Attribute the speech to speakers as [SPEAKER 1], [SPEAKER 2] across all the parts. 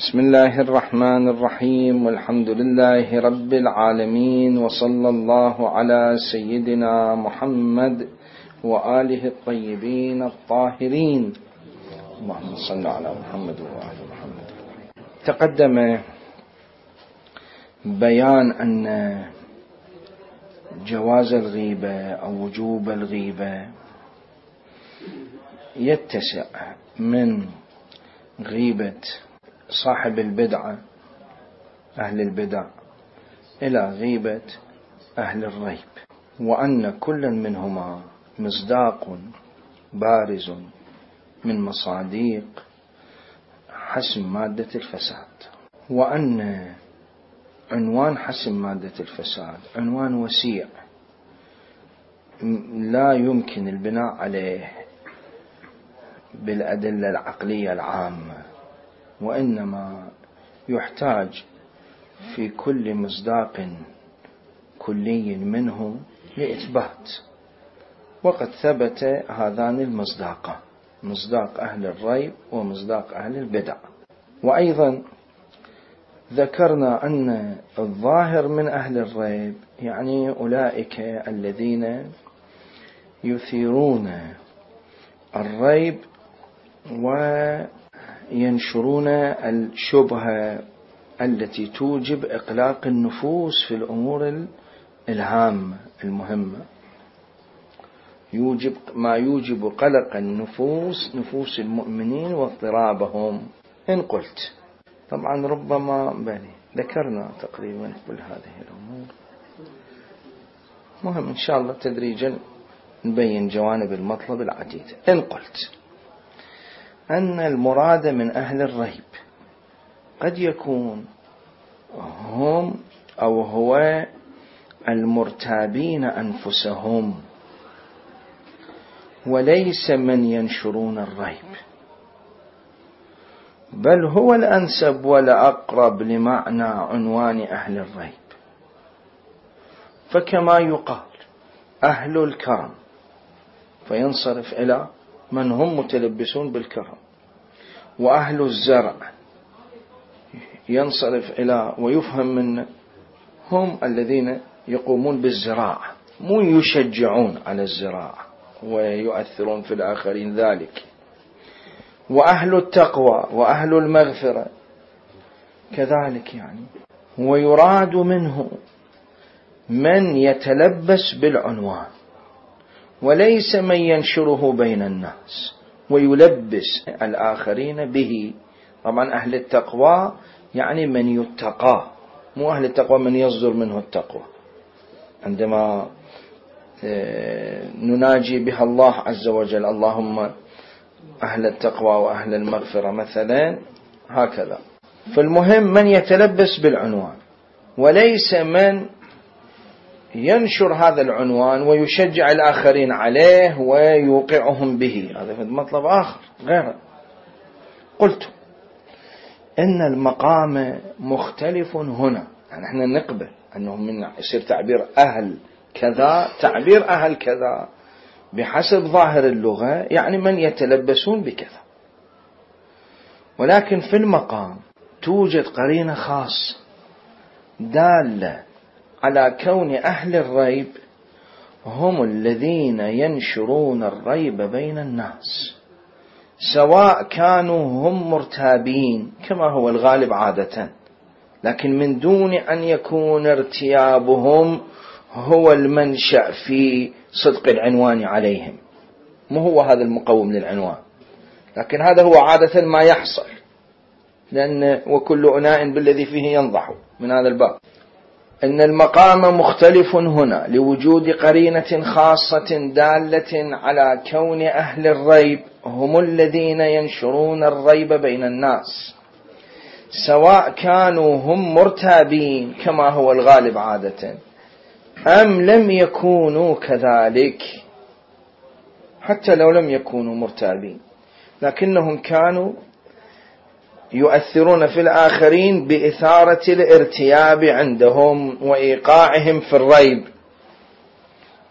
[SPEAKER 1] بسم الله الرحمن الرحيم، والحمد لله رب العالمين، وصلى الله على سيدنا محمد وآله الطيبين الطاهرين. اللهم صل على محمد وآل محمد. تقدم بيان أن جواز الغيبة أو وجوب الغيبة يتسع من غيبة صاحب البدعة أهل البدع إلى غيبة أهل الريب، وأن كل منهما مصداق بارز من مصادق حسم مادة الفساد، وأن عنوان حسم مادة الفساد عنوان وسيع لا يمكن البناء عليه بالأدلة العقلية العامة، وإنما يحتاج في كل مصداق كلي منه لإثبات. وقد ثبت هذان المصداقان، مصداق أهل الريب ومصداق أهل البدع. وأيضا ذكرنا أن الظاهر من أهل الريب يعني أولئك الذين يثيرون الريب وينشرون الشبهة التي توجب إقلاق النفوس في الأمور الهامة المهمة، ما يوجب قلق النفوس، نفوس المؤمنين واضطرابهم. إن قلت طبعا ربما ذكرنا تقريبا كل هذه الأمور، مهم إن شاء الله تدريجا نبين جوانب المطلب العديدة. إن قلت أن المراد من أهل الريب قد يكون هم أو هو المرتابين أنفسهم، وليس من ينشرون الريب، بل هو الأنسب والأقرب لمعنى عنوان أهل الريب. فكما يقال أهل الكرم فينصرف إلى من هم متلبسون بالكرم، وأهل الزرع ينصرف إلى ويفهم من هم الذين يقومون بالزراعة، مو يشجعون على الزراعة ويؤثرون في الآخرين ذلك. وأهل التقوى وأهل المغفرة كذلك يعني. ويراد منه من يتلبس بالعنوان، وليس من ينشره بين الناس ويلبس الآخرين به. طبعا أهل التقوى يعني من يتقى، مو أهل التقوى من يصدر منه التقوى. عندما نناجي بها الله عز وجل اللهم أهل التقوى وأهل المغفرة مثلا هكذا. فالمهم من يتلبس بالعنوان، وليس من ينشر هذا العنوان ويشجع الآخرين عليه ويوقعهم به، هذا في مطلب آخر غيره. قلت إن المقام مختلف هنا، يعني احنا نقبل أنه من يصير تعبير أهل كذا تعبير أهل كذا بحسب ظاهر اللغة، يعني من يتلبسون بكذا. ولكن في المقام توجد قرينة خاصة دالة على كون أهل الريب هم الذين ينشرون الريب بين الناس، سواء كانوا هم مرتابين كما هو الغالب عادة، لكن من دون أن يكون ارتيابهم هو المنشأ في صدق العنوان عليهم. مو هو هذا المقوم للعنوان، لكن هذا هو عادة ما يحصل، لأن وكل أناء بالذي فيه ينضح من هذا الباب. إن المقام مختلف هنا لوجود قرينة خاصة دالة على كون أهل الريب هم الذين ينشرون الريب بين الناس، سواء كانوا هم مرتابين كما هو الغالب عادة أم لم يكونوا كذلك. حتى لو لم يكونوا مرتابين لكنهم كانوا يؤثرون في الآخرين بإثارة الارتياب عندهم وإيقاعهم في الريب،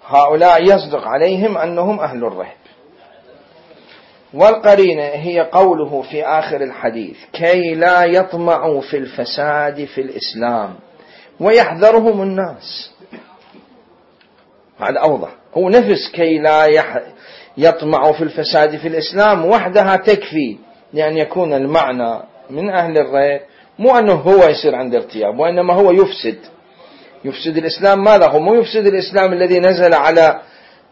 [SPEAKER 1] هؤلاء يصدق عليهم أنهم أهل الريب. والقرينة هي قوله في آخر الحديث كي لا يطمعوا في الفساد في الإسلام ويحذرهم الناس. هذا أوضح، هو نفس كي لا يطمعوا في الفساد في الإسلام وحدها تكفي لأن يكون المعنى من أهل الريب، مو أنه هو يصير عنده ارتياب، وإنما هو يفسد الإسلام. ماذا هو؟ مو يفسد الإسلام الذي نزل على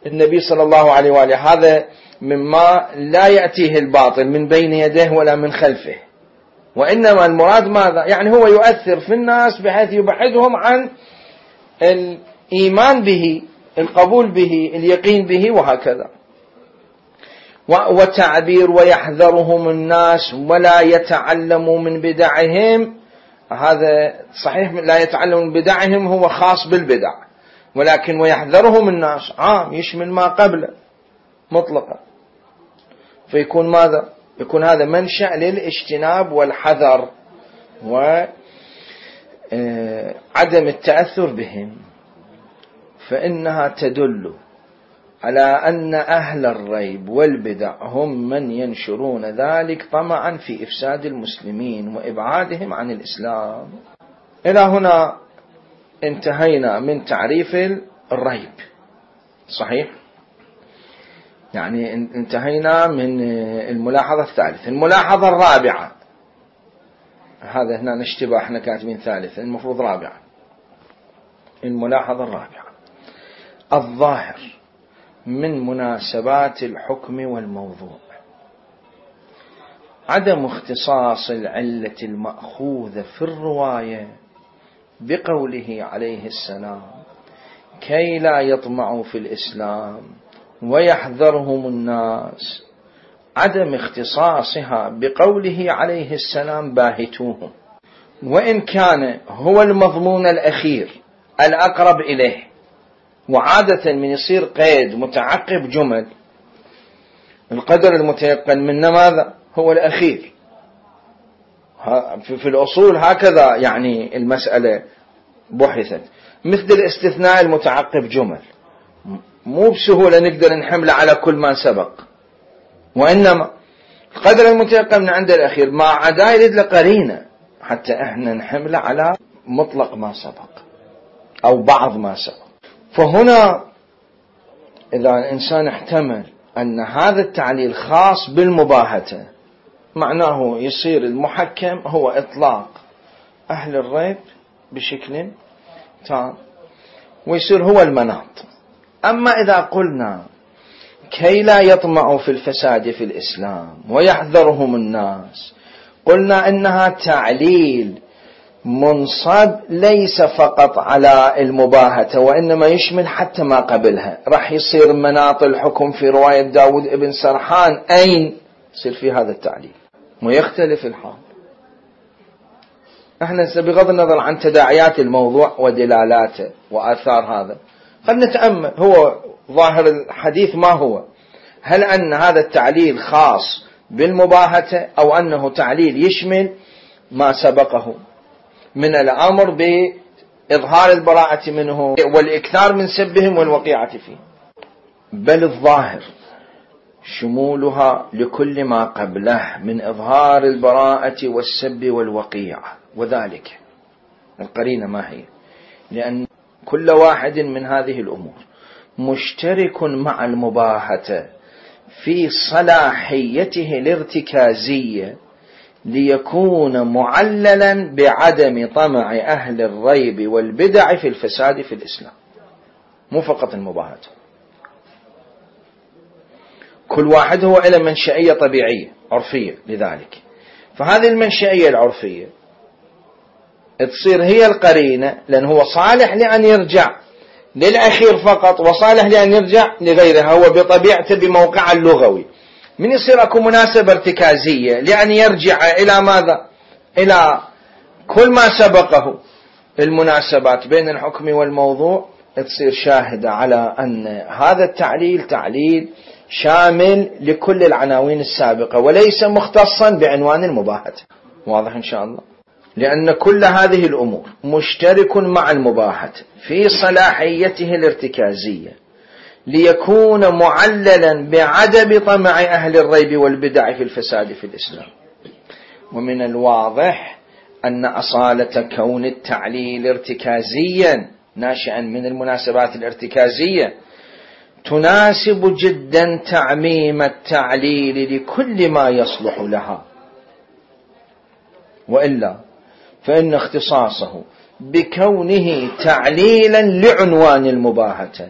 [SPEAKER 1] النبي صلى الله عليه وآله، هذا مما لا يأتيه الباطل من بين يديه ولا من خلفه، وإنما المراد ماذا؟ يعني هو يؤثر في الناس بحيث يبعدهم عن الإيمان به، القبول به، اليقين به، وهكذا. وتعبير ويحذرهم الناس ولا يتعلموا من بدعهم، هذا صحيح لا يتعلموا من بدعهم هو خاص بالبدع، ولكن ويحذرهم الناس عام يشمل ما قبله مطلقا، فيكون ماذا؟ يكون هذا منشأ للاجتناب والحذر وعدم التأثر بهم. فإنها تدل على أن أهل الريب والبدع هم من ينشرون ذلك طمعا في إفساد المسلمين وإبعادهم عن الإسلام. إلى هنا انتهينا من تعريف الريب، صحيح؟ يعني انتهينا من الملاحظة الثالثة. الملاحظة الرابعة، هذا هنا نشتبه، احنا كاتبين ثالثة المفروض رابعة. الملاحظة الرابعة: الظاهر من مناسبات الحكم والموضوع عدم اختصاص العلة المأخوذة في الرواية بقوله عليه السلام كي لا يطمعوا في الإسلام ويحذرهم الناس، عدم اختصاصها بقوله عليه السلام باهتوهم، وإن كان هو المضمون الأخير الأقرب إليه. وعادة من يصير قيد متعقب جمل، القدر المتيقن منه ماذا؟ هو الأخير. في الأصول هكذا يعني المسألة بحثت، مثل الاستثناء المتعقب جمل مو بسهولة نقدر نحمله على كل ما سبق، وإنما القدر المتيقن من عند الأخير ما عدا يريد لقرينة حتى احنا نحمله على مطلق ما سبق أو بعض ما سبق. فهنا إذا الإنسان احتمل أن هذا التعليل خاص بالمباهته، معناه يصير المحكم هو إطلاق أهل الريب بشكل تام، ويصير هو المناط. أما إذا قلنا كي لا يطمعوا في الفساد في الإسلام ويحذرهم الناس، قلنا إنها تعليل منصب ليس فقط على المباهته، وإنما يشمل حتى ما قبلها. راح يصير مناط الحكم في رواية داود ابن سرحان أين يصير في هذا التعليل، ويختلف الحال. احنا بغض النظر عن تداعيات الموضوع ودلالاته وآثار هذا، خلنا نتأمل هو ظاهر الحديث ما هو، هل أن هذا التعليل خاص بالمباهته أو أنه تعليل يشمل ما سبقه من الأمر بإظهار البراءة منه والإكثار من سبهم والوقيعة فيه. بل الظاهر شمولها لكل ما قبله من إظهار البراءة والسب والوقيعة، وذلك القرينة ما هي؟ لأن كل واحد من هذه الأمور مشترك مع المباهة في صلاحيته الارتكازية ليكون معللا بعدم طمع أهل الريب والبدع في الفساد في الإسلام، مو فقط المباهة. كل واحد هو إلى منشأية طبيعية عرفية، لذلك فهذه المنشأية العرفية تصير هي القرينة، لأن هو صالح لأن يرجع للأخير فقط وصالح لأن يرجع لغيرها، هو بطبيعته بموقع اللغوي. من يصير أكو مناسبة ارتكازية لأن يرجع إلى ماذا؟ إلى كل ما سبقه. المناسبات بين الحكم والموضوع تصير شاهدة على أن هذا التعليل تعليل شامل لكل العناوين السابقة وليس مختصا بعنوان المباهة. واضح إن شاء الله؟ لأن كل هذه الأمور مشترك مع المباهة في صلاحيته الارتكازية ليكون معللا بعدم طمع أهل الريب والبدع في الفساد في الإسلام. ومن الواضح أن أصالة كون التعليل ارتكازيا ناشئا من المناسبات الارتكازية تناسب جدا تعميم التعليل لكل ما يصلح لها، وإلا فإن اختصاصه بكونه تعليلا لعنوان المباهة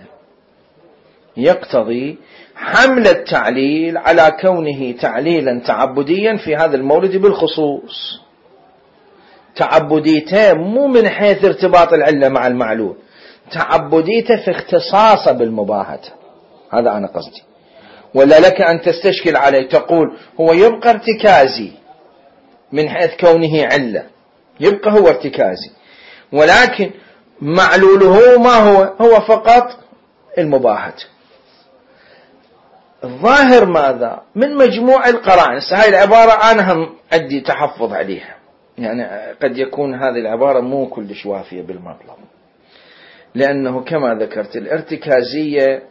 [SPEAKER 1] يقتضي حمل التعليل على كونه تعليلا تعبديا في هذا المورد بالخصوص. تعبديته مو من حيث ارتباط العلة مع المعلول، تعبديته في اختصاصه بالمباهة، هذا أنا قصدي. ولا لك أن تستشكل عليه تقول هو يبقى ارتكازي من حيث كونه علة، يبقى هو ارتكازي، ولكن معلوله ما هو فقط المباهة. الظاهر ماذا من مجموع القرائن، هاي العبارة أنا هم عندي تحفظ عليها، يعني قد يكون هذه العبارة مو كلش وافية بالمطلب، لأنه كما ذكرت الارتكازية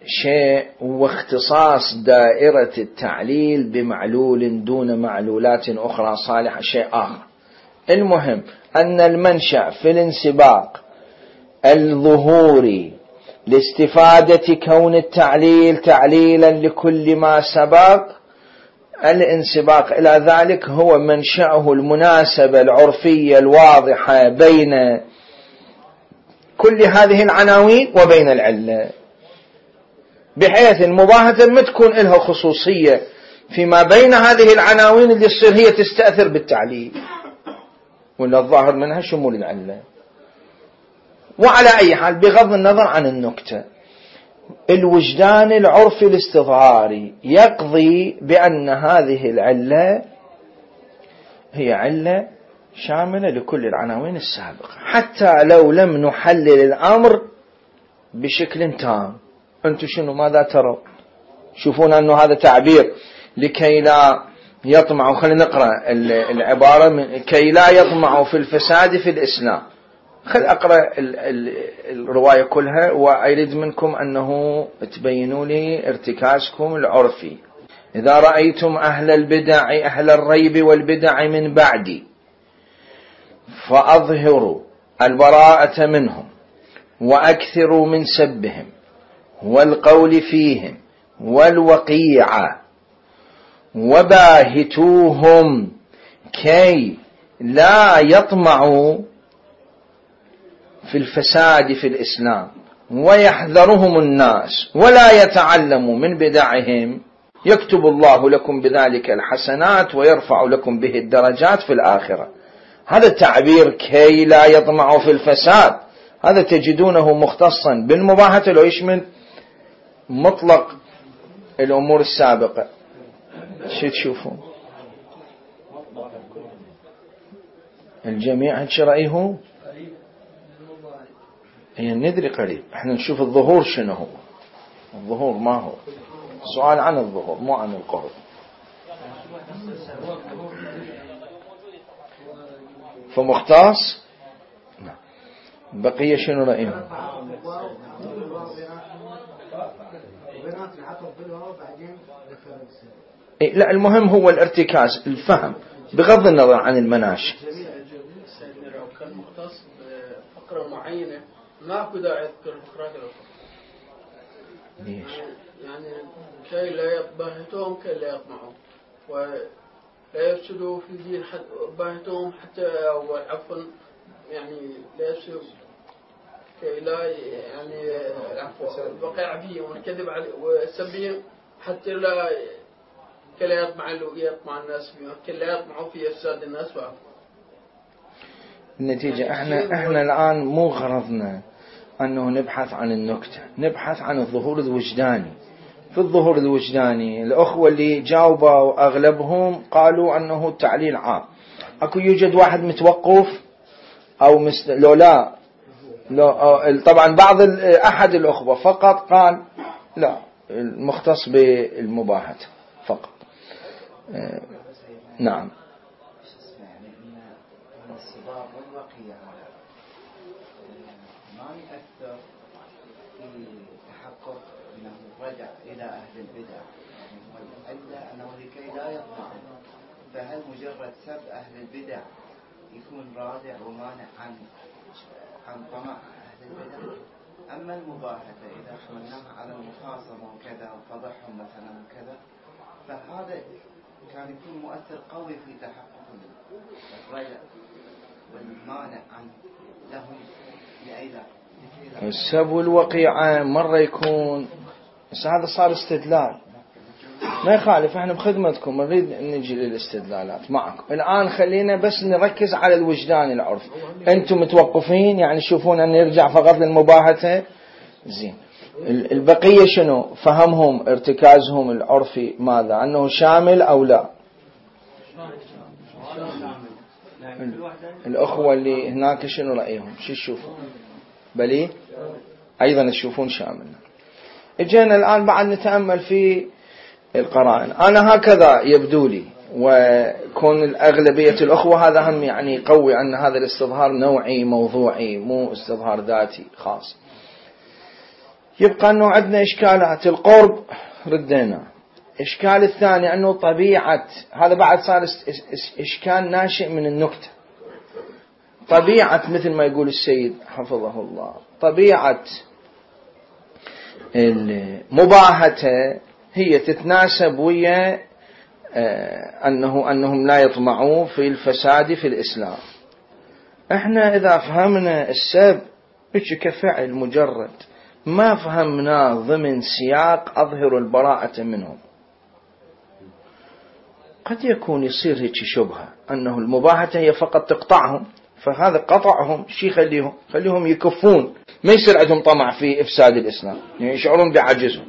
[SPEAKER 1] شيء واختصاص دائرة التعليل بمعلول دون معلولات أخرى صالحة شيء آخر. المهم أن المنشأ في الانسباق الظهوري لاستفادة كون التعليل تعليلا لكل ما سبق، الانسباق إلى ذلك هو منشأه المناسبة العرفية الواضحة بين كل هذه العناوين وبين العلة، بحيث المباهة ما تكون لها خصوصية فيما بين هذه العناوين اللي تصير هي تستأثر بالتعليل، ولا الظاهر منها شمول العلة. وعلى أي حال بغض النظر عن النكتة، الوجدان العرفي الاستظهاري يقضي بأن هذه العلة هي علة شاملة لكل العناوين السابقة، حتى لو لم نحلل الأمر بشكل تام. أنتم شنو ماذا ترون؟ شوفون أنه هذا تعبير لكي لا يطمعوا، خلينا نقرأ العبارة كي لا يطمعوا في الفساد في الإسلام. خل أقرأ الرواية كلها وأريد منكم أنه تبينوا لي ارتكازكم العرفي. إذا رأيتم أهل البدع أهل الريب والبدع من بعدي فأظهروا البراءة منهم وأكثروا من سبهم والقول فيهم والوقيعة وباهتوهم كي لا يطمعوا في الفساد في الإسلام ويحذرهم الناس ولا يتعلموا من بدعهم، يكتب الله لكم بذلك الحسنات ويرفع لكم به الدرجات في الآخرة. هذا التعبير كي لا يطمعوا في الفساد هذا تجدونه مختصا بالمباهة لو يشمل مطلق الأمور السابقة. شو تشوفون الجميع هل رأيه؟ هي ندري قريب، احنا نشوف الظهور شنو هو. الظهور ما هو سؤال عن الظهور مو عن القرب. فمختص بقية شنو رأيه؟ لا المهم هو الارتكاز الفهم بغض النظر عن المناشئ.
[SPEAKER 2] كان مختص بفقرة معينة ماكو داعي يذكر الفقرات الأخرى.
[SPEAKER 1] ليش؟
[SPEAKER 2] يعني كي لا يباهتهم كي لا يطمعوا ولا يفسدوا في الدين باهتهم حتى أو عفوا يعني لا يفسدوا كي لا يعني الوقع فيهم والكذب عليه والسبهم حتى لا كلا يطمع الناس فيهم كلا يطمعوا في إفساد الناس فيهم.
[SPEAKER 1] النتيجة احنا الآن مو غرضنا أنه نبحث عن النكتة، نبحث عن الظهور الوجداني. في الظهور الوجداني الأخوة اللي جاوبوا أغلبهم قالوا أنه التعليل عام. أكو يوجد واحد متوقف أو لو لا طبعا أحد الأخوة فقط قال لا المختص بالمباهة فقط. نعم.
[SPEAKER 3] رجع إلى أهل البدع إلا أنه لكي لا يطمع، فهل مجرد سب أهل البدع يكون رادع ومانع عن طمع أهل البدع؟ أما المباهته إذا حملناها على المخاصمة وكذا وفضحهم مثلا وكذا، فهذا كان يكون مؤثر قوي في تحقق الرجع والمانع عن لهم لأيضا
[SPEAKER 1] السب والوقيعة مرة يكون، بس هذا صار استدلال، ما يخالف، احنا بخدمتكم، نريد نجي للاستدلالات معكم. الآن خلينا بس نركز على الوجدان العرف. انتم متوقفين يعني تشوفون أن يرجع فقط للمباهته؟ زين. البقية شنو فهمهم ارتكازهم العرفي؟ ماذا أنه شامل أو لا؟ الأخوة اللي هناك شنو رأيهم؟ شو تشوفون؟ بلي أيضا تشوفون شامل. اجينا الآن بعد نتأمل في القرائن. أنا هكذا يبدو لي، وكون الأغلبية الأخوة هذا هم يعني قوي أن هذا الاستظهار نوعي موضوعي مو استظهار ذاتي خاص. يبقى أنه عندنا إشكالات القرب ردينا. إشكال الثاني أنه طبيعة، هذا بعد صار إشكال ناشئ من النكتة، طبيعة مثل ما يقول السيد حفظه الله، طبيعة المباهته هي تتناسب ويا أنهم لا يطمعوا في الفساد في الإسلام. احنا إذا فهمنا السب كفعل مجرد، ما فهمنا ضمن سياق أظهر البراءة منهم، قد يكون يصير هيك شبهة أنه المباهته هي فقط تقطعهم، فهذا قطعهم شيء خليهم يكفون، ما يصير عندهم طمع في إفساد الإسلام، يعني يشعرون بعجزهم.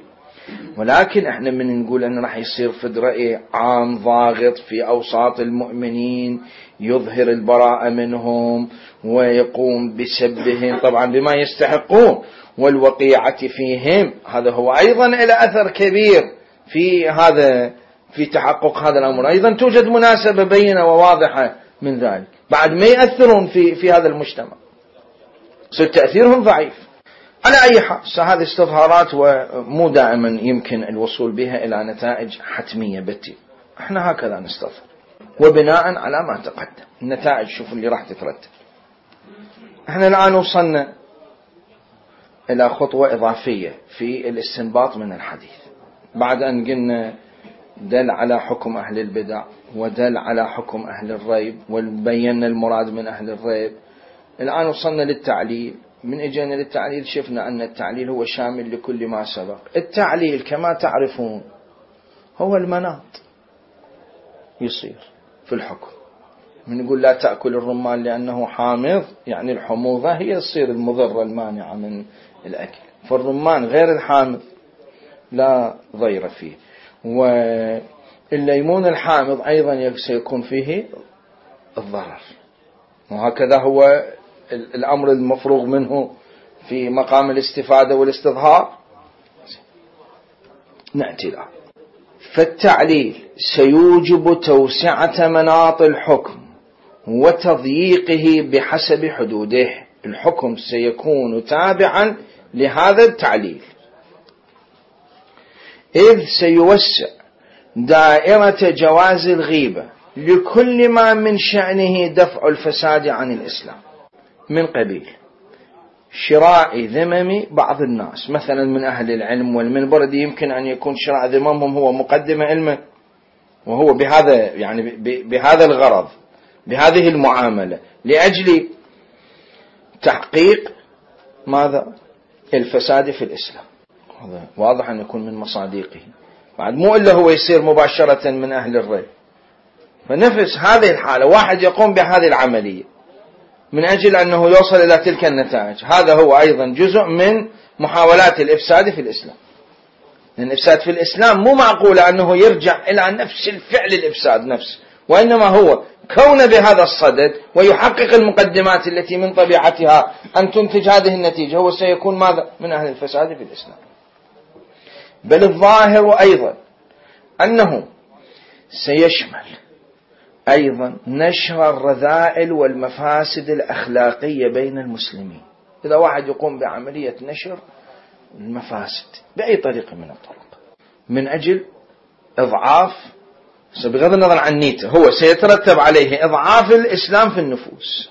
[SPEAKER 1] ولكن احنا من نقول أنه راح يصير فد رأي عام ضاغط في أوساط المؤمنين يظهر البراءة منهم ويقوم بسبهم طبعا بما يستحقون والوقيعة فيهم، هذا هو أيضا إلى أثر كبير في تحقق هذا الأمر. أيضا توجد مناسبة بينة وواضحة من ذلك، بعد ما يأثرون في هذا المجتمع، صار تأثيرهم ضعيف. على أي حال هذه استظهارات ومو دائما يمكن الوصول بها إلى نتائج حتمية بتي، احنا هكذا نستظهر وبناء على ما تقدم النتائج شوفوا اللي راح تترتب. احنا الآن وصلنا إلى خطوة إضافية في الاستنباط من الحديث، بعد أن قلنا دل على حكم أهل البدع ودل على حكم أهل الريب وبينا المراد من أهل الريب. الآن وصلنا للتعليل. من اجينا للتعليل شفنا أن التعليل هو شامل لكل ما سبق. التعليل كما تعرفون هو المناط يصير في الحكم. من نقول لا تأكل الرمان لأنه حامض، يعني الحموضة هي تصير المضرة المانعة من الأكل، فالرمان غير الحامض لا ضير فيه، والليمون الحامض أيضا سيكون فيه الضرر، وهكذا هو الأمر المفروغ منه في مقام الاستفادة والاستظهار. نأتي له. فالتعليل سيوجب توسعة مناط الحكم وتضييقه بحسب حدوده. الحكم سيكون تابعا لهذا التعليل، إذ سيوسع دائرة جواز الغيبة لكل ما من شأنه دفع الفساد عن الإسلام، من قبيل شراء ذمم بعض الناس مثلا من أهل العلم والمنبر، يمكن أن يكون شراء ذممهم هو مقدمة علمه، وهو بهذا يعني بهذا الغرض بهذه المعاملة لأجل تحقيق ماذا؟ الفساد في الإسلام. هذا واضح أن يكون من مصادقه، بعد مو إلا هو يصير مباشرة من أهل الريب. فنفس هذه الحالة واحد يقوم بهذه العملية من أجل أنه يوصل إلى تلك النتائج، هذا هو أيضا جزء من محاولات الإفساد في الإسلام. لأن الإفساد في الإسلام مو معقول أنه يرجع إلى نفس الفعل الإفساد نفسه، وإنما هو كون بهذا الصدد ويحقق المقدمات التي من طبيعتها أن تنتج هذه النتيجة، هو سيكون ماذا؟ من أهل الفساد في الإسلام. بل الظاهر أيضا أنه سيشمل أيضا نشر الرذائل والمفاسد الأخلاقية بين المسلمين. إذا واحد يقوم بعملية نشر المفاسد بأي طريقة من الطرق من أجل إضعاف، بغض النظر عن نيته، هو سيترتب عليه إضعاف الإسلام في النفوس.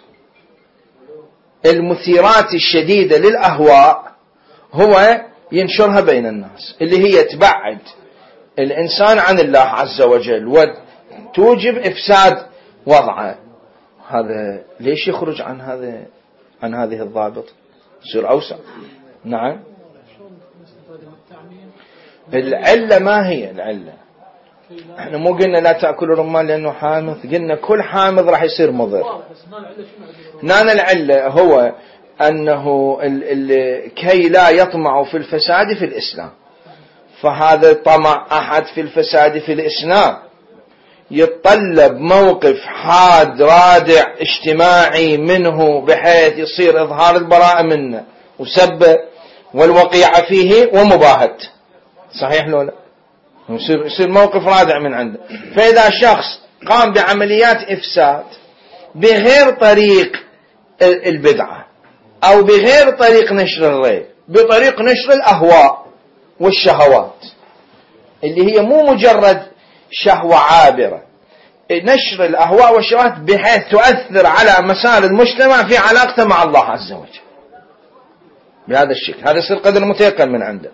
[SPEAKER 1] المثيرات الشديدة للأهواء هو ينشرها بين الناس، اللي هي تبعد الإنسان عن الله عز وجل وتوجب إفساد وضعه. هذا ليش يخرج عن هذه الضابط؟ يصير أوسع. نعم. العلة ما هي العلة؟ احنا مو قلنا لا تأكلوا رمان لأنه حامض، قلنا كل حامض راح يصير مضر. هنا العلة هو أنه كي لا يطمع في الفساد في الإسلام، فهذا طمع أحد في الفساد في الإسلام يتطلب موقف حاد رادع اجتماعي منه، بحيث يصير إظهار البراءة منه وسب والوقيعة فيه ومباهة. صحيح لو لا؟ يصير موقف رادع من عنده. فإذا شخص قام بعمليات إفساد بغير طريق البدعة أو بغير طريق نشر الريب، بطريق نشر الأهواء والشهوات اللي هي مو مجرد شهوة عابرة، نشر الأهواء والشهوات بحيث تؤثر على مسار المجتمع في علاقته مع الله عز وجل بهذا الشكل، هذا يصير قدر متيقن من عنده.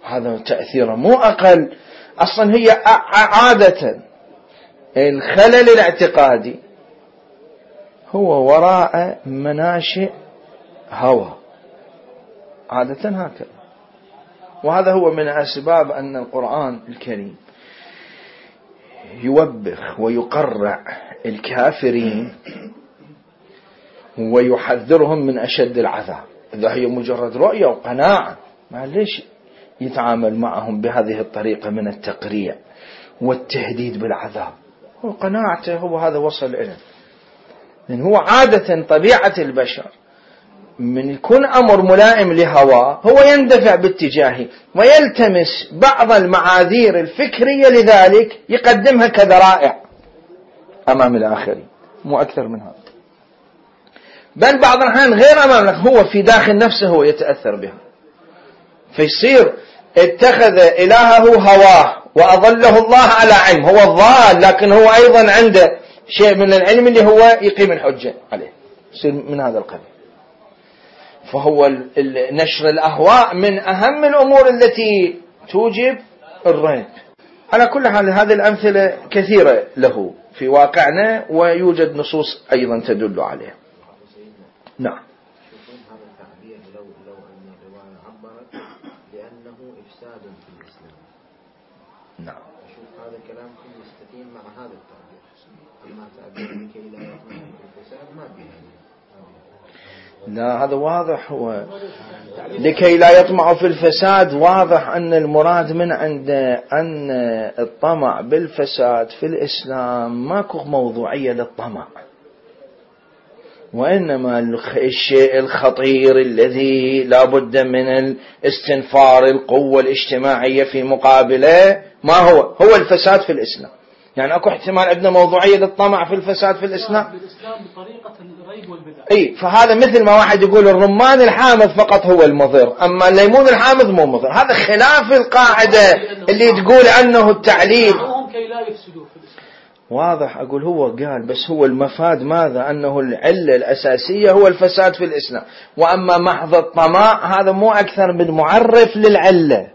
[SPEAKER 1] هذا تأثيره مو أقل. أصلا هي عادة الخلل الاعتقادي هو وراء مناشئ هوى، عادة هكذا. وهذا هو من أسباب أن القرآن الكريم يوبخ ويقرع الكافرين ويحذرهم من أشد العذاب. إذا هي مجرد رؤية وقناعة، ما ليش يتعامل معهم بهذه الطريقة من التقريع والتهديد بالعذاب؟ هو قناعته، هو هذا وصل إليه. لأن هو عادة طبيعة البشر من يكون أمر ملائم لهواه هو يندفع باتجاهه ويلتمس بعض المعاذير الفكرية لذلك يقدمها كذرائع أمام الآخرين، مو أكثر من هذا. بل بعض الأحيان غير أمام، هو في داخل نفسه هو يتأثر بها، فيصير اتخذ إلهه هواه وأضله الله على علم. هو الضال لكن هو أيضا عنده شيء من العلم اللي هو يقيم الحجة عليه، يصير من هذا القبيل. فهو نشر الأهواء من أهم الأمور التي توجب الريب. على كل حال هذه الأمثلة كثيرة له في واقعنا، ويوجد نصوص أيضا تدل عليه. نعم.
[SPEAKER 4] هذا التعبير لو أن الرواية عبرت لأنه إفساد في الإسلام.
[SPEAKER 1] نعم.
[SPEAKER 4] أشوف هذا الكلام كله يستقيم مع هذا التعبير، أما تعبير لكي لا يطمع في الفساد ما بيه.
[SPEAKER 1] لا، هذا واضح. هو لكي لا يطمع في الفساد، واضح أن المراد من عند أن الطمع بالفساد في الإسلام ماكو موضوعية للطمع، وإنما الشيء الخطير الذي لا بد من الاستنفار القوة الاجتماعية في مقابله ما هو الفساد في الإسلام. يعني أكو احتمال عندنا موضوعية للطمع في الفساد في الإسلام
[SPEAKER 5] بطريقة الريب والبدع.
[SPEAKER 1] أي، فهذا مثل ما واحد يقول الرمان الحامض فقط هو المضر، أما الليمون الحامض مو مضر. هذا خلاف القاعدة اللي تقول أنه التعليل
[SPEAKER 5] كي لا يفسدوا في الإسلام.
[SPEAKER 1] واضح. أقول هو قال بس هو المفاد ماذا؟ أنه العلة الأساسية هو الفساد في الإسلام، وأما محض الطمع هذا مو أكثر من معرف للعلة.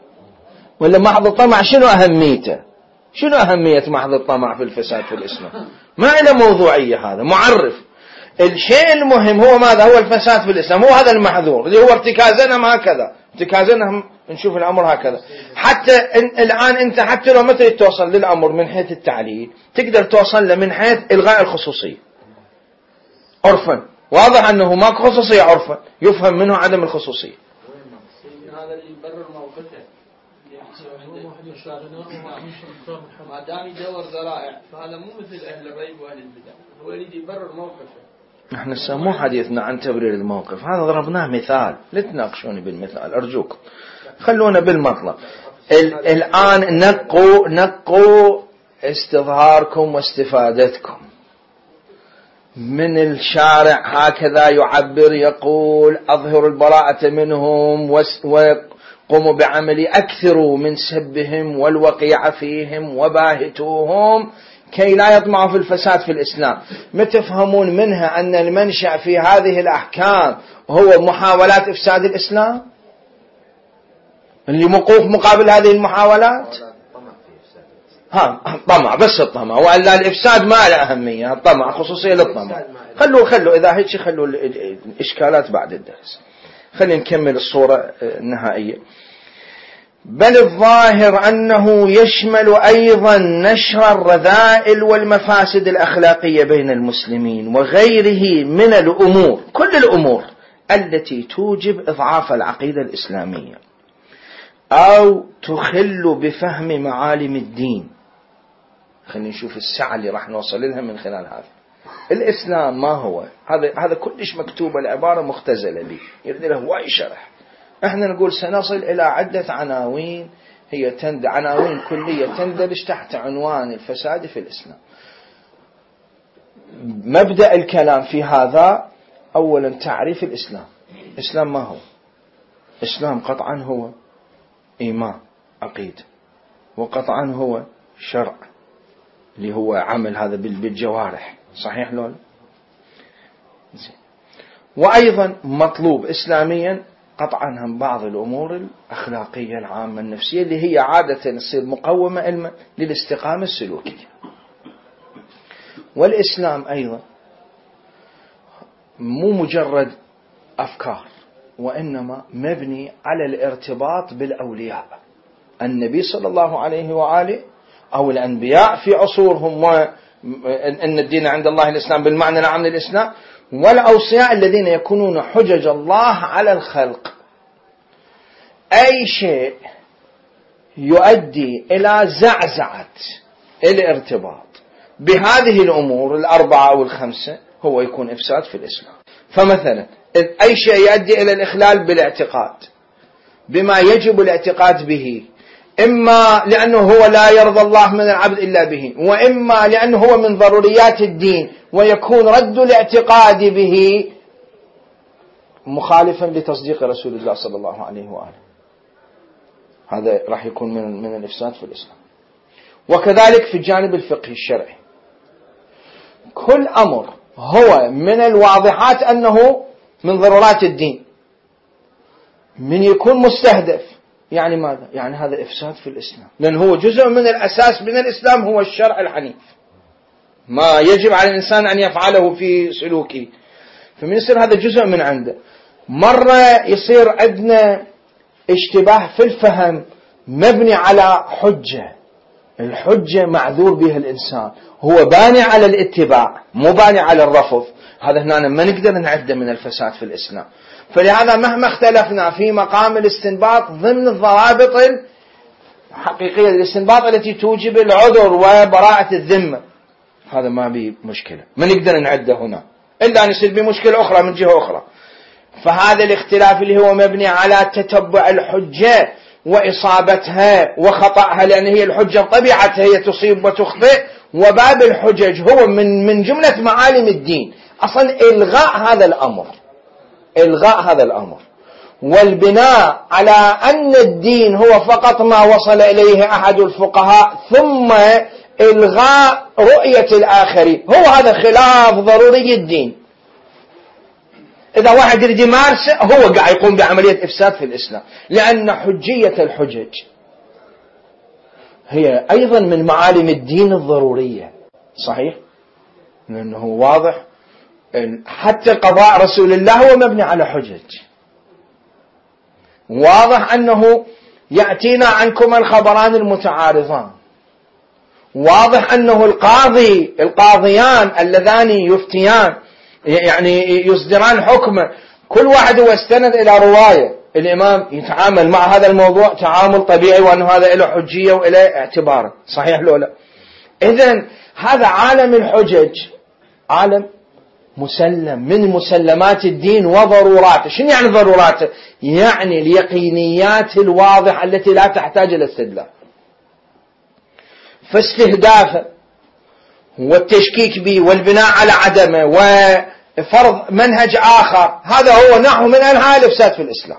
[SPEAKER 1] ولا محض الطمع شنو أهميته؟ شنو أهمية محض الطمع في الفساد في الإسلام؟ ما له موضوعية، هذا معرف. الشيء المهم هو ماذا؟ هو الفساد في الإسلام، هو هذا المحذور اللي هو ارتكازنا هكذا، ارتكازنا نشوف الأمر هكذا. حتى الآن أنت حتى لو متى توصل للأمر من حيث التعليل تقدر توصل له من حيث إلغاء الخصوصية عرفا. واضح أنه ماكو خصوصية عرفا، يفهم منه عدم الخصوصية.
[SPEAKER 2] هذا اللي يبرر موقفه، ما دام يدور ذرائع، فهذا مو مثل أهل الريب وأهل البدع، هو يريد يبرر موقفه.
[SPEAKER 1] احنا مو حديثنا عن تبرير الموقف، هذا ضربناه مثال، لا تناقشوني بالمثال أرجوكم، خلونا بالمطلب. الآن نقوا استظهاركم واستفادتكم من الشارع، هكذا يعبر، يقول أظهر البراءة منهم قوموا بعمل أكثروا من سبهم والوقيع فيهم وباهتوهم كي لا يطمعوا في الفساد في الإسلام. ما تفهمون منها أن المنشأ في هذه الأحكام هو محاولات إفساد الإسلام اللي موقوف مقابل هذه المحاولات؟ طمع، بس الطمع، وألا الإفساد ما له أهمية، الطمع خصوصية للطمع. خلوا إذا هيك خلوا الإشكالات بعد الدرس. خلينا نكمل الصورة النهائية. بل الظاهر أنه يشمل أيضا نشر الرذائل والمفاسد الأخلاقية بين المسلمين وغيره من الأمور، كل الأمور التي توجب إضعاف العقيدة الإسلامية أو تخل بفهم معالم الدين. خلينا نشوف السعة اللي راح نوصل لها من خلال هذا. الإسلام ما هو؟ هذا كلش مكتوبة، العبارة مختزلة به، يريد له هواي شرح. احنا نقول سنصل إلى عدة عناوين، هي عناوين كلية تندرج تحت عنوان الفساد في الإسلام. مبدأ الكلام في هذا أولا تعريف الإسلام. الإسلام ما هو؟ الإسلام قطعا هو إيمان عقيدة، وقطعا هو شرع اللي هو عمل هذا بالجوارح، صحيح لولا؟ وأيضا مطلوب إسلاميا قطعا هم بعض الأمور الأخلاقية العامة النفسية اللي هي عادة تصير مقومة للاستقامة السلوكية. والإسلام أيضا مو مجرد أفكار، وإنما مبني على الارتباط بالأولياء. النبي صلى الله عليه وآله أو الأنبياء في عصورهم، وأن الدين عند الله الإسلام بالمعنى العام للإسلام، والأوصياء الذين يكونون حجج الله على الخلق. أي شيء يؤدي إلى زعزعة الارتباط بهذه الأمور الأربعة أو الخمسة هو يكون إفساد في الإسلام. فمثلا أي شيء يؤدي إلى الإخلال بالاعتقاد بما يجب الاعتقاد به، إما لأنه هو لا يرضى الله من العبد إلا به، وإما لأنه هو من ضروريات الدين ويكون رد الاعتقاد به مخالفا لتصديق رسول الله صلى الله عليه وآله، هذا راح يكون من الإفساد في الإسلام. وكذلك في الجانب الفقهي الشرعي، كل أمر هو من الواضحات أنه من ضرورات الدين، من يكون مستهدف يعني ماذا؟ يعني هذا إفساد في الإسلام، لأن هو جزء من الأساس من الإسلام هو الشرع الحنيف، ما يجب على الإنسان أن يفعله في سلوكه، فمن يصير هذا جزء من عنده. مرة يصير عندنا اشتباه في الفهم مبني على حجة، الحجة معذور بها الإنسان، هو باني على الاتباع مو باني على الرفض، هذا هنا ما نقدر نعده من الفساد في الإسلام. فلهذا مهما اختلفنا في مقام الاستنباط ضمن الضوابط الحقيقية للاستنباط التي توجب العذر وبراءة الذمة، هذا ما بيه مشكلة، ما نقدر نعده هنا إلا أن يصير بمشكلة أخرى من جهة أخرى. فهذا الاختلاف اللي هو مبني على تتبع الحجة وإصابتها وخطأها، لأن هي الحجة بطبيعتها هي تصيب وتخطئ، وباب الحجج هو من جملة معالم الدين أصلا إلغاء هذا الأمر والبناء على أن الدين هو فقط ما وصل إليه أحد الفقهاء ثم إلغاء رؤية الآخرين، هو هذا خلاف ضروري الدين. إذا واحد يريد يمارسه هو قاعد يقوم بعملية إفساد في الإسلام، لأن حجية الحجج هي أيضا من معالم الدين الضرورية، صحيح؟ لأنه واضح حتى قضاء رسول الله هو مبني على حجج، واضح أنه يأتينا عنكم الخبران المتعارضان، واضح أنه القاضيان اللذان يفتيان يعني يصدران حكمه، كل واحد هو استند إلى رواية، الإمام يتعامل مع هذا الموضوع تعامل طبيعي، وأنه هذا له حجية وإله اعتبار، صحيح لو لا؟ إذن هذا عالم الحجج عالم مسلم من مسلمات الدين وضروراته. شنو يعني ضروراته؟ يعني اليقينيات الواضحة التي لا تحتاج إلى استدلال. فاستهدافه والتشكيك به والبناء على عدمه وفرض منهج آخر، هذا هو نحو من أنواع الإفساد في الإسلام.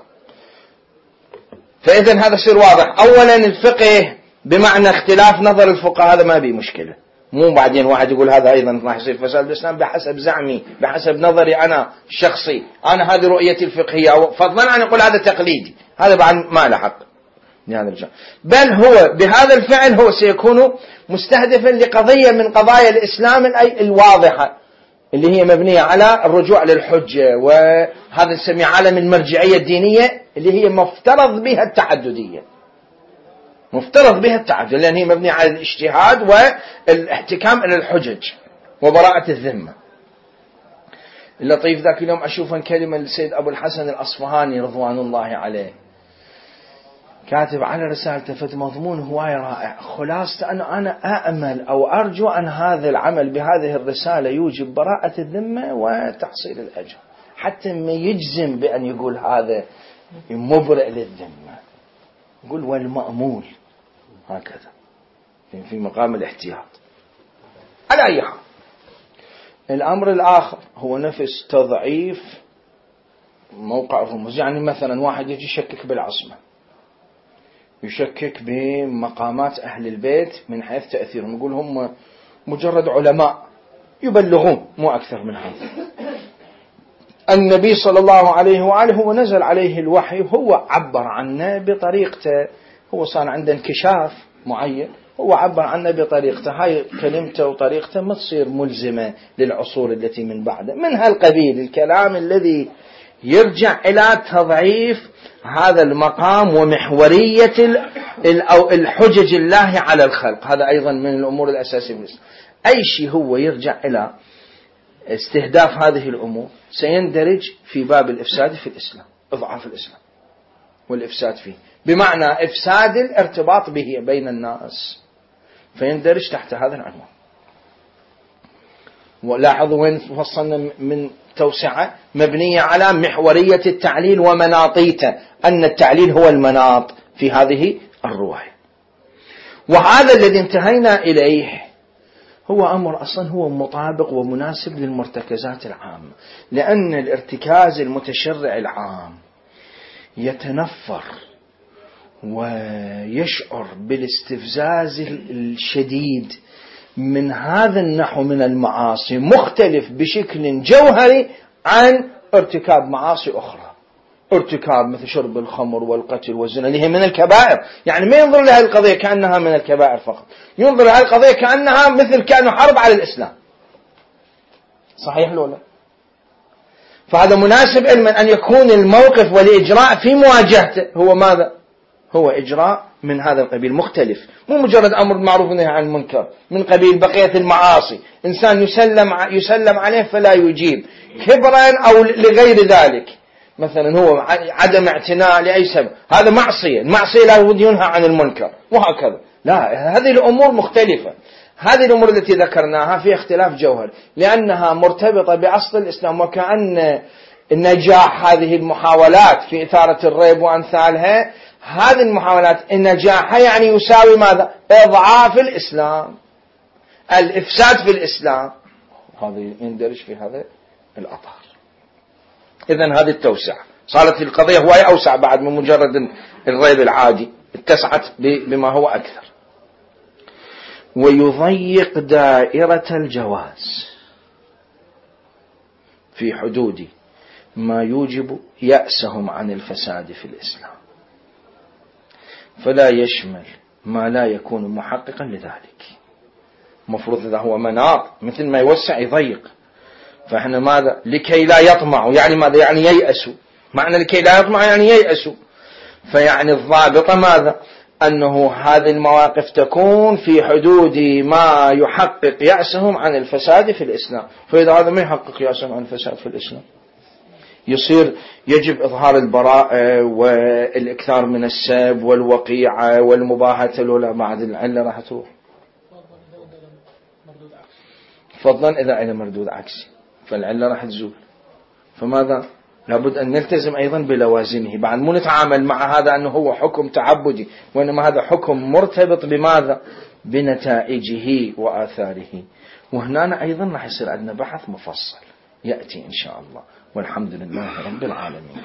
[SPEAKER 1] فإذا هذا يصير واضح. أولا الفقه بمعنى اختلاف نظر الفقهاء هذا ما بيه مشكلة، مو بعدين واحد يقول هذا أيضا راح يصير فساد بالإسلام بحسب زعمي بحسب نظري أنا الشخصي، أنا هذه رؤيتي الفقهية، فضلا عن يقول هذا تقليدي، هذا بعد ما له حق لهذا الرجال. بل هو بهذا الفعل هو سيكون مستهدفا لقضية من قضايا الإسلام الواضحة اللي هي مبنية على الرجوع للحجة، وهذا نسميه عالم المرجعية الدينية اللي هي مفترض بها التعددية، مفترض بها التعدد، لأن هي مبنية على الاجتهاد والاحتكام إلى الحجج وبراءة الذمة. اللطيف ذاك اليوم أشوف كلمة للسيد أبو الحسن الأصفهاني رضوان الله عليه، كاتب على رسالته فت مضمون هواية رائع. خلاصة أنا أأمل أو أرجو أن هذا العمل بهذه الرسالة يوجب براءة الذمة وتحصيل الأجر، حتى ما يجزم بأن يقول هذا مبرئ للذمة، يقول والمأمول هكذا في مقام الاحتياط. على أي حال الأمر الآخر هو نفس تضعيف موقع الرموز. يعني مثلا واحد يجي يشكك بالعصمة، يشكك بمقامات أهل البيت من حيث تأثيرهم، يقول هم مجرد علماء يبلغون مو أكثر من هذا. النبي صلى الله عليه وآله هو نزل عليه الوحي، هو عبر عنه بطريقته، هو صار عنده انكشاف معين، هو عبر عنه بطريقته، هاي كلمته وطريقته ما تصير ملزمة للعصور التي من بعده. من هالقبيل الكلام الذي يرجع إلى تضعيف هذا المقام ومحورية الحجج الله على الخلق، هذا أيضا من الأمور الأساسية. أي شيء هو يرجع إلى استهداف هذه الأمور سيندرج في باب الإفساد في الإسلام، إضعاف الإسلام والإفساد فيه، بمعنى إفساد الارتباط به بين الناس، فيندرج تحت هذا العنوان. ولاحظوا وين وصلنا من توسعة مبنية على محورية التعليل ومناطيته، أن التعليل هو المناط في هذه الرواية. وهذا الذي انتهينا إليه هو أمر أصلا هو مطابق ومناسب للمرتكزات العامة، لأن الارتكاز المتشرع العام يتنفر ويشعر بالاستفزاز الشديد من هذا النحو من المعاصي، مختلف بشكل جوهري عن ارتكاب معاصي أخرى، ارتكاب مثل شرب الخمر والقتل والزنا اللي هي من الكبائر. يعني ما ينظر لها القضية كأنها من الكبائر فقط، ينظر لها القضية كأنها مثل كأنه حرب على الإسلام. صحيح لولا؟ فهذا مناسب علما أن يكون الموقف والإجراء في مواجهته هو ماذا؟ هو إجراء من هذا القبيل مختلف، مو مجرد أمر معروف ونهي عن المنكر من قبيل بقية المعاصي، إنسان يسلم عليه فلا يجيب كبرا أو لغير ذلك، مثلا هو عدم اعتناء لأي سبب، هذا معصية، المعصية لا بد ينهى عن المنكر وهكذا. لا، هذه الأمور مختلفة. هذه الأمور التي ذكرناها في اختلاف جوهر لأنها مرتبطة بأصل الإسلام، وكأن نجاح هذه المحاولات في إثارة الريب وأمثالها، هذه المحاولات النجاح يعني يساوي ماذا؟ إضعاف الإسلام، الإفساد في الإسلام، هذا يندرج في هذا الأطار. إذن هذه التوسعة صارت القضية هواية أوسع بعد من مجرد الريب العادي، اتسعت بما هو أكثر. ويضيق دائرة الجواز في حدود ما يوجب يأسهم عن الفساد في الإسلام، فلا يشمل ما لا يكون محققا لذلك. مفروض إذا هو مناط مثل ما يوسع يضيق، فإحنا ماذا؟ لكي لا يطمعوا، يعني ماذا؟ يعني ييأسوا، معنى لكي لا يطمعوا يعني ييأسوا، فيعني الضابط ماذا؟ أنه هذه المواقف تكون في حدود ما يحقق يأسهم عن الفساد في الإسلام. فإذا هذا ما يحقق يأسهم عن الفساد في الإسلام يصير يجب إظهار البراءة والإكثار من السب والوقيعة والمباهاة الأولى، بعد العلة راح تروح. فضلا إذا إلى مردود عكسي فالعلة راح تزول. فماذا؟ لابد أن نلتزم أيضا بلوازمه، بعد مو نتعامل مع هذا أنه هو حكم تعبدي، وإنما هذا حكم مرتبط بماذا؟ بنتائجه وآثاره. وهنا أيضا راح يصير عندنا بحث مفصل يأتي إن شاء الله، والحمد لله رب العالمين.